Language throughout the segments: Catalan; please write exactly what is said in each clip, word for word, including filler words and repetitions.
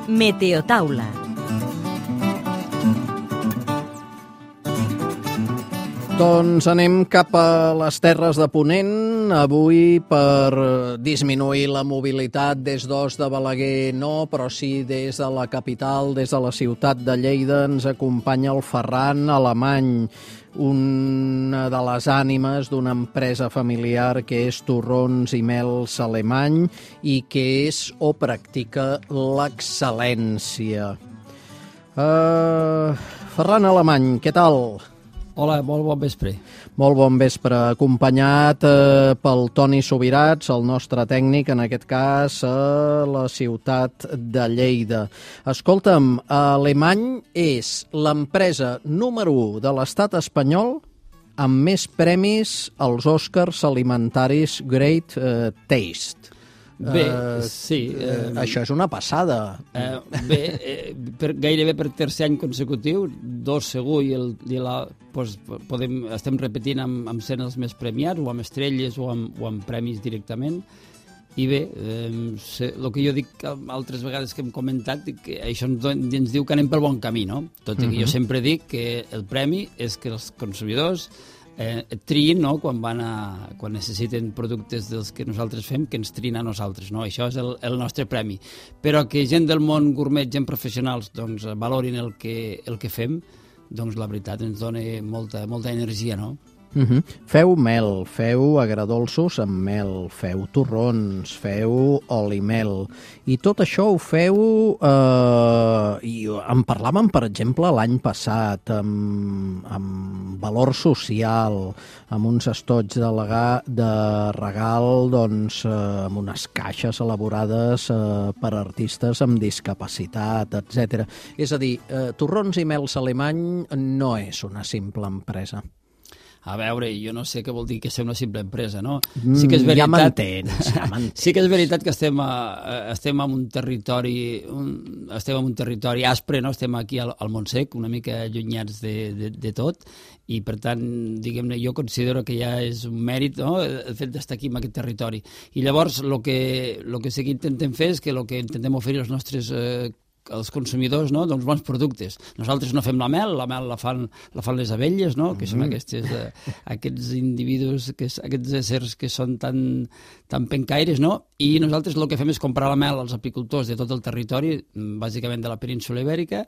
Meteotaula. Doncs anem cap a les Terres de Ponent, avui per disminuir la mobilitat des d'Os de Balaguer no, però sí des de la capital, des de la ciutat de Lleida, ens acompanya el Ferran Alemany, una de les ànimes d'una empresa familiar que és Torrons i Mels Alemany i que és o practica l'excel·lència. Uh, Ferran Alemany, què tal? Hola, molt bon vespre. Molt bon vespre, acompanyat eh, pel Toni Subirats, el nostre tècnic, en aquest cas a la ciutat de Lleida. Escolta'm, Alemany és l'empresa número u de l'estat espanyol amb més premis als Oscars alimentaris Great eh, Taste. Bé, uh, sí. Uh, això és una passada. Uh, bé, eh, per, gairebé per tercer any consecutiu, dos segur, i, el, i la, pues, podem, estem repetint amb, amb sent els més premiats, o amb estrelles, o amb, o amb premis directament. I bé, eh, sé, el que jo dic altres vegades que hem comentat, que això ens, ens diu que anem pel bon camí, no? Tot i que uh-huh. jo sempre dic que el premi és que els consumidors Eh, triïn, no?, quan, van a, quan necessiten productes dels que nosaltres fem, que ens triïn a nosaltres, no? Això és el, el nostre premi. Però que gent del món gourmet, gent professionals, doncs, valorin el que, el que fem, doncs la veritat ens dona molta, molta energia, no? Uh-huh. Feu mel, feu agredolços amb mel, feu torrons, feu oli mel, i tot això ho feu, eh, i en parlàvem, per exemple, l'any passat, amb, amb valor social, amb uns estoig de, legà, de regal, doncs, eh, amb unes caixes elaborades eh, per artistes amb discapacitat, etcètera. És a dir, eh, Torrons i Mels Alemany no és una simple empresa. A veure, jo no sé què vol dir que ser una simple empresa, no? Sí que és veritat, ja m'entens, ja m'entens. Sí que és veritat que estem, a, estem en un territori un, estem en un territori aspre, no? Estem aquí al, al Montsec, una mica allunyats de, de, de tot, i per tant, diguem-ne, jo considero que ja és un mèrit, no?, el fet d'estar aquí en aquest territori. I llavors, el que, lo que sí que intentem fer és que el que intentem oferir als nostres eh, els consumidors, no?, doncs bons productes. Nosaltres no fem la mel, la mel la fan, la fan les abelles, no?, que mm. són aquestes, eh, aquests individus, que, aquests éssers que són tan, tan pencaires, no?, i nosaltres el que fem és comprar la mel als apicultors de tot el territori, bàsicament de la península Ibèrica,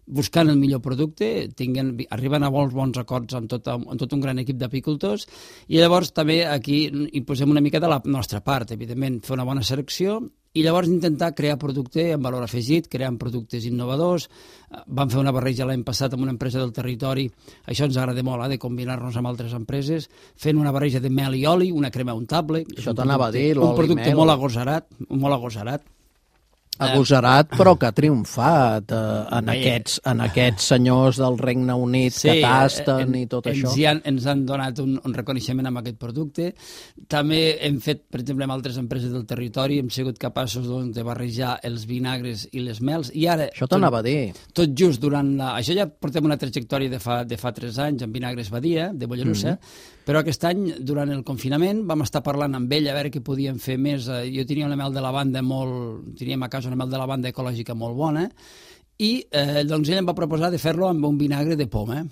buscant el millor producte, tinguen, arriben a molts bons acords amb tot, amb tot un gran equip d'apicultors, i llavors també aquí hi posem una mica de la nostra part, evidentment, fer una bona selecció, i llavors intentar crear producte amb valor afegit, creant productes innovadors. Vam fer una barreja l'any passat amb una empresa del territori, això ens agrada molt, eh, de combinar-nos amb altres empreses, fent una barreja de mel i oli, una crema untable. Això t'anava a dir, l'oli i mel. Un producte molt agosarat, molt agosarat. Agosarat, però que ha triomfat eh, en, aquests, en aquests senyors del Regne Unit sí, que tasten i tot ens això. Han, ens han donat un, un reconeixement amb aquest producte. També hem fet, per exemple, amb altres empreses del territori, hem sigut capaços doncs, de barrejar els vinagres i les mels. I ara, això t'anava a dir. Tot just durant la... Això ja portem una trajectòria de fa, de fa tres anys amb Vinagres Badia, de Mollerussa, mm-hmm. però aquest any, durant el confinament, vam estar parlant amb ell a veure què podíem fer més. Jo tenia una mel de lavanda molt... Teníem a casa una mel de lavanda ecològica molt bona, i eh, doncs ell em va proposar de fer-lo amb un vinagre de poma.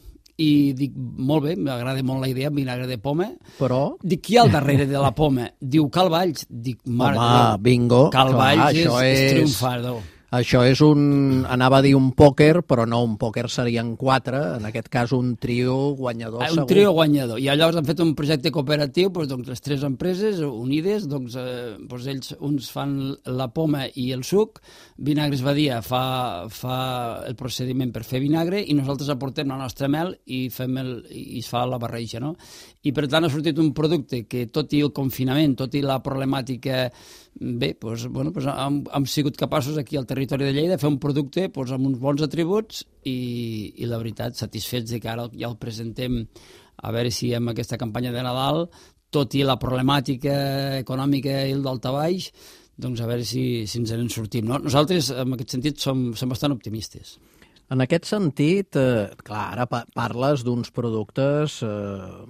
I dic, molt bé, m'agrada molt la idea, vinagre de poma. Però? Dic, qui hi ha al darrere de la poma? Diu, Cal Valls. Dic, mare Home, bingo. Cal clar, Valls és, és... és triomfador. Això és un... Anava a dir un pòquer, però no, un pòquer serien quatre, en aquest cas un trio guanyador ah, segur. Un trio guanyador. I llavors han fet un projecte cooperatiu, doncs, doncs les tres empreses unides, doncs, eh, doncs ells uns fan la poma i el suc, Vinagres Badia fa, fa el procediment per fer vinagre i nosaltres aportem la nostra mel i, fem el, i es fa la barreja, no? I per tant ha sortit un producte que, tot i el confinament, tot i la problemàtica, bé, doncs, bueno, doncs hem, hem sigut capaços aquí al territori de Lleida de fer un producte doncs, amb uns bons atributs i, i la veritat, satisfets de que ara ja el presentem a veure si amb aquesta campanya de Nadal, tot i la problemàtica econòmica i el daltabaix, doncs a veure si, si ens en sortim. No? Nosaltres, en aquest sentit, som, som bastant optimistes. En aquest sentit, eh, clar, ara pa parles d'uns productes eh,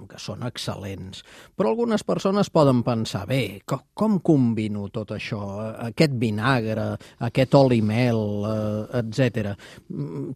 que són excel·lents, però algunes persones poden pensar, bé, com, com combino tot això, aquest vinagre, aquest oli mel, eh, etcètera.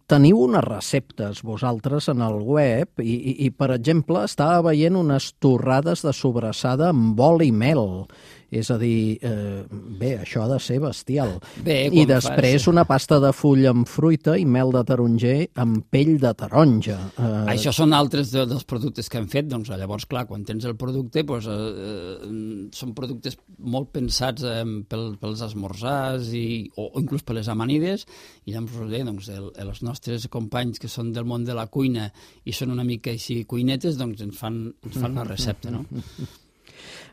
Teniu unes receptes vosaltres en el web i, i, i, per exemple, estava veient unes torrades de sobrassada amb oli mel. És a dir, eh, bé, això ha de ser bestial. Bé, I després fas... una pasta de full amb fruita i mel de taronger amb pell de taronja. Eh... Això són altres de, dels productes que hem fet. Doncs, llavors, clar, quan tens el producte, doncs, eh, són productes molt pensats eh, pel, pels esmorzars i, o, o inclús per les amanides. I llavors, bé, doncs, el, els nostres companys que són del món de la cuina i són una mica així cuinetes, doncs ens fan, ens fan una recepta, no?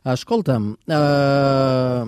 Escolta'm, eh,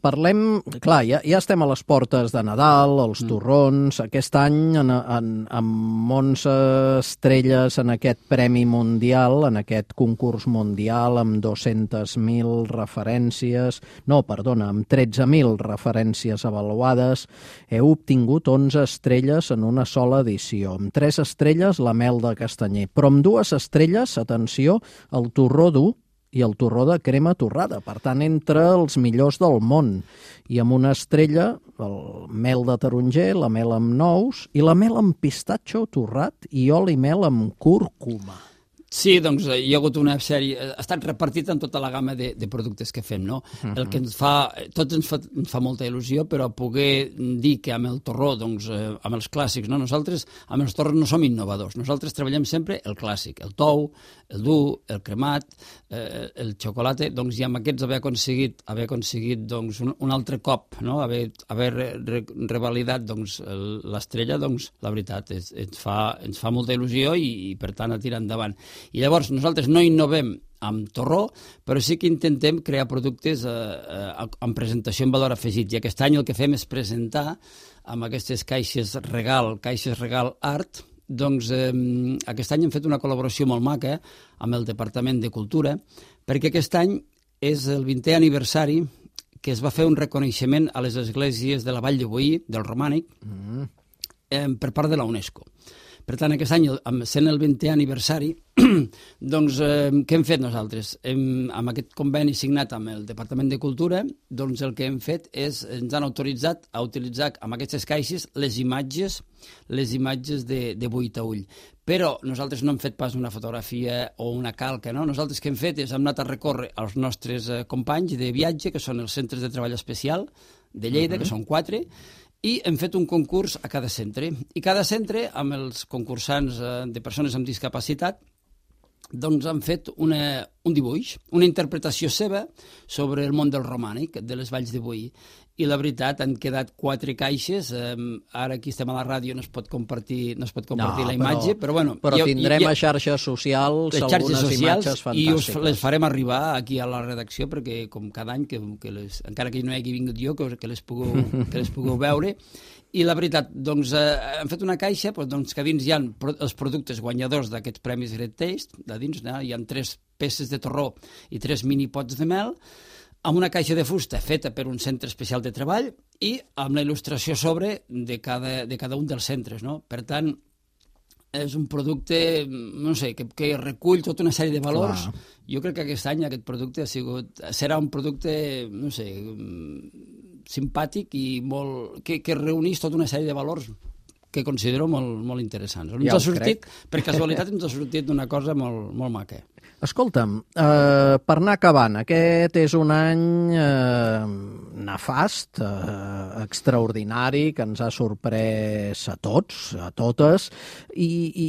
parlem... Clar, ja, ja estem a les portes de Nadal, els torrons, aquest any en, en, amb onze estrelles en aquest Premi Mundial, en aquest concurs mundial amb dos-centes mil referències, no, perdona, amb tretze mil referències avaluades, heu obtingut onze estrelles en una sola edició. Amb tres estrelles la mel de castanyer, però amb dues estrelles, atenció, el torró dur i el torró de crema torrada, per tant, entre els millors del món. I amb una estrella, el mel de taronger, la mel amb nous i la mel amb pistatxo torrat i oli mel amb cúrcuma. Sí, doncs hi ha hagut una sèrie, ha estat repartit en tota la gamma de, de productes que fem, no? Uh-huh. El que ens fa, tots ens fa, ens fa molta il·lusió, però poder dir que amb el torró, doncs, eh, amb els clàssics, no? Nosaltres amb els torros no som innovadors, nosaltres treballem sempre el clàssic, el tou, el dur, el cremat, eh, el xocolata, doncs, i amb aquests haver aconseguit, haver aconseguit doncs, un, un altre cop, no? Haver, haver re, re, revalidat doncs, l'estrella, doncs, la veritat, es, ens, fa, ens fa molta il·lusió i, i per tant, a tirar endavant. I llavors nosaltres no innovem amb torró, però sí que intentem crear productes eh, eh, amb presentació en valor afegit. I aquest any el que fem és presentar amb aquestes caixes regal, caixes regal art, doncs eh, aquest any hem fet una col·laboració molt maca amb el Departament de Cultura, perquè aquest any és el vintè aniversari que es va fer un reconeixement a les esglésies de la Vall de Boí, del Romànic, mm. eh, per part de la UNESCO. Per tant, aquest any, sent el vintè aniversari, doncs, eh, què hem fet nosaltres? Hem, amb aquest conveni signat amb el Departament de Cultura, doncs el que hem fet és, ens han autoritzat a utilitzar amb aquestes caixes les imatges, les imatges de, de buit a ull. Però nosaltres no hem fet pas una fotografia o una calca, no? Nosaltres què hem fet és, hem anat a recórrer als nostres eh, companys de viatge, que són els centres de treball especial de Lleida, uh-huh. que són quatre, i hem fet un concurs a cada centre. I cada centre, amb els concursants de persones amb discapacitat, doncs han fet una, un dibuix, una interpretació seva sobre el món del romànic, de les Valls de Boí. I la veritat, han quedat quatre caixes, eh, ara aquí estem a la ràdio, no es pot compartir, no es pot compartir no, la imatge, però, però bueno... Però jo, tindrem jo, a xarxes socials algunes socials, imatges fantàstiques. I us les farem arribar aquí a la redacció, perquè com cada any, que, que les, encara que no hi hagi vingut jo, que, que, les pugueu, que les pugueu veure. I la veritat, doncs, eh, hem fet una caixa doncs, que a dins hi ha els productes guanyadors d'aquests premis Great Taste, de dins no? Hi ha tres peces de torró i tres mini pots de mel, amb una caixa de fusta feta per un centre especial de treball i amb la il·lustració sobre de cada, de cada un dels centres, no? Per tant, és un producte, no sé, que, que recull tota una sèrie de valors. Clar. Jo crec que aquest any aquest producte ha sigut, serà un producte, no sé, simpàtic i molt, que, que reunís tota una sèrie de valors que considero molt, molt interessants. Ens ja ha sortit, crec. Per casualitat ens ha sortit d'una cosa molt, molt maca. Escolta'm, eh, per anar acabant, aquest és un any eh, nefast, eh, extraordinari, que ens ha sorprès a tots, a totes, i, i,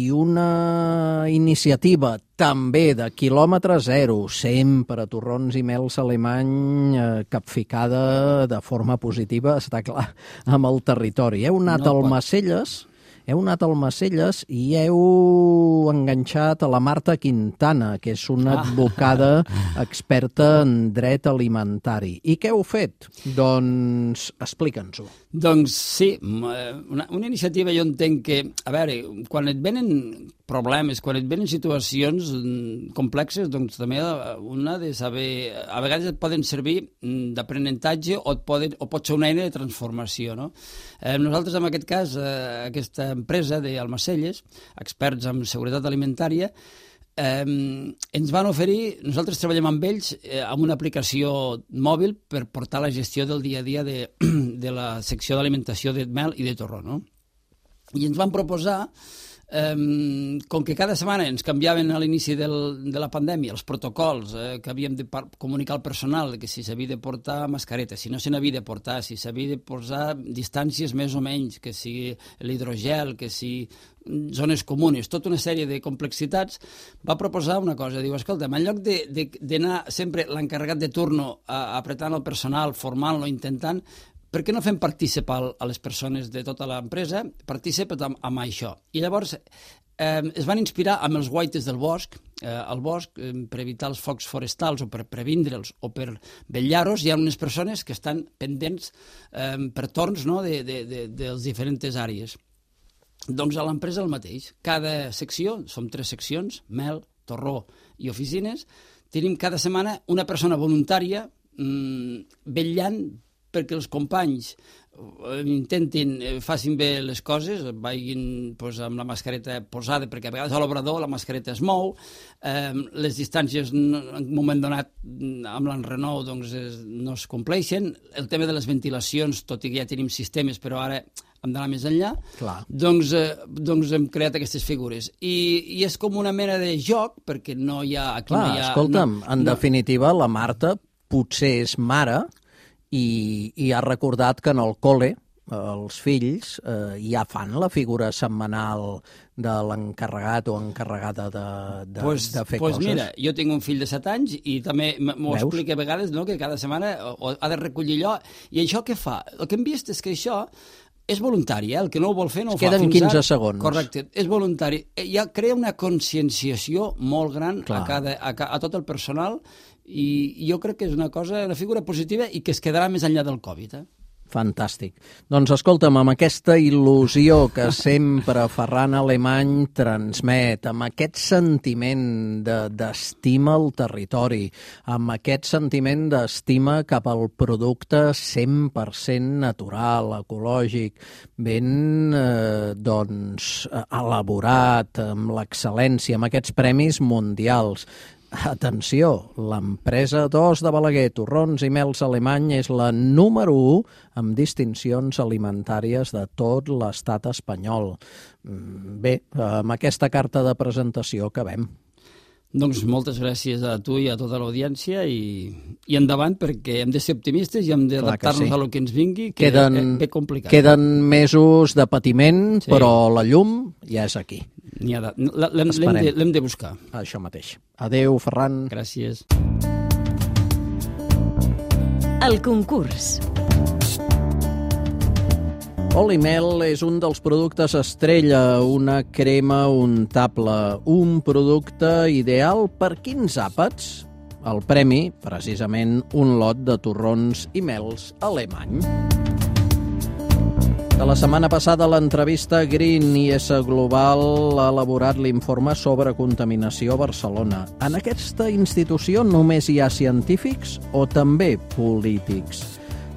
i una iniciativa també de quilòmetre zero, sempre a torrons i mels alemany, eh, capficada de forma positiva, està clar, amb el territori. Heu anat no al pot. Macelles... Heu anat al Macelles i heu enganxat a la Marta Quintana, que és una advocada experta en dret alimentari. I què heu fet? Doncs explica'ns-ho. Doncs sí, una, una iniciativa jo entenc que, a veure, quan et venen problemes, quan et venen situacions complexes, doncs també una de saber... A vegades et poden servir d'aprenentatge o, et poden, o pot ser una eina de transformació, no? Eh, nosaltres, en aquest cas, eh, aquesta empresa d'Almacelles, experts en seguretat alimentària, eh, ens van oferir, nosaltres treballem amb ells eh, amb una aplicació mòbil per portar la gestió del dia a dia de, de la secció d'alimentació de mel i de torró, no? I ens van proposar, Um, com que cada setmana ens canviaven a l'inici del, de la pandèmia els protocols eh, que havíem de comunicar al personal, que si s'havia de portar mascareta, si no se n'havia de portar, si s'havia de posar distàncies més o menys, que si l'hidrogel, que si zones comunes, tota una sèrie de complexitats, va proposar una cosa, diu, escolta, en lloc d'anar sempre l'encarregat de turno a, apretant el personal, formant-lo, intentant, per què no fem participar a les persones de tota l'empresa, participen amb, amb això? I llavors eh, es van inspirar amb els guaites del bosc, eh, al bosc, eh, per evitar els focs forestals o per previndre'ls o per vetllar-los, hi ha unes persones que estan pendents eh, per torns, no?, de, de, de, de les diferents àrees. Doncs a l'empresa el mateix. Cada secció, som tres seccions, mel, torró i oficines, tenim cada setmana una persona voluntària mmm, vetllant perquè els companys intentin, facin bé les coses, vagin pues, amb la mascareta posada, perquè a vegades a l'obrador la mascareta es mou, eh, les distàncies en un moment donat amb l'enrenou doncs, es, no es compleixen, el tema de les ventilacions, tot i que ja tenim sistemes, però ara hem d'anar més enllà, doncs, eh, doncs hem creat aquestes figures. I, i és com una mena de joc, perquè no hi ha... Aquí Clar, no hi ha escolta'm, no, en no. definitiva, la Marta potser és mare i, i ha recordat que en el col·le els fills eh, ja fan la figura setmanal de l'encarregat o encarregada de, de, pues, de fer pues coses. Mira, jo tinc un fill de set anys i també m'ho explica a vegades, no?, que cada setmana ha de recollir allò. I això què fa? El que hem vist és que això és voluntari, eh? El que no ho vol fer no ho fa. Queden quinze segons. Correcte, és voluntari. Ja crea una conscienciació molt gran a, cada, a, a tot el personal i jo crec que és una cosa, una figura positiva i que es quedarà més enllà del Covid. Eh? Fantàstic. Doncs escolta'm, amb aquesta il·lusió que sempre Ferran Alemany transmet, amb aquest sentiment d'estima al territori, amb aquest sentiment d'estima cap al producte cent per cent natural, ecològic, ben eh, doncs, elaborat, amb l'excel·lència, amb aquests premis mundials. Atenció, l'empresa dos de Balaguer, Torrons i Mels Alemany, és la número u amb distincions alimentàries de tot l'estat espanyol. Bé, amb aquesta carta de presentació acabem. Doncs moltes gràcies a tu i a tota l'audiència i, i endavant, perquè hem de ser optimistes i hem d'adaptar-nos sí. a lo que ens vingui, que queden, és ben complicat. Queden mesos de patiment, sí. però la llum ja és aquí. L'hem de, de, de buscar. Això mateix. Adéu, Ferran. Gràcies. El concurs. Oli Mel és un dels productes estrella, una crema untable, un producte ideal per quins àpats? El premi, precisament, un lot de torrons i mels alemany. De la setmana passada, l'entrevista Green I S Global ha elaborat l'informe sobre contaminació a Barcelona. En aquesta institució només hi ha científics o també polítics?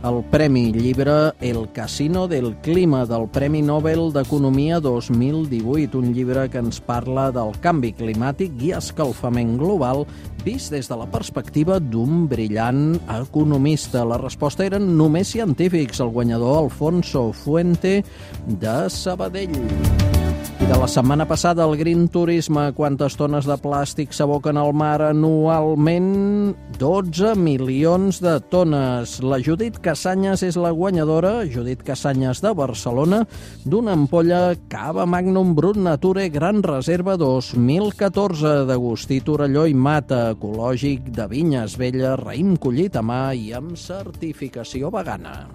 El Premi Llibre El Casino del Clima del Premi Nobel d'Economia dos mil divuit, un llibre que ens parla del canvi climàtic i escalfament global vist des de la perspectiva d'un brillant economista. La resposta eren només científics, el guanyador Alfonso Fuente de Sabadell. I de la setmana passada, el Green Turisme, quantes tones de plàstic s'aboquen al mar anualment? dotze milions de tones. La Judit Cassanyes és la guanyadora, Judit Cassanyes de Barcelona, d'una ampolla Cava Magnum Brut Nature Gran Reserva dos mil catorze, d'Agustí Torelló i Mata, ecològic de Vinyes Velles, raïm collit a mà i amb certificació vegana.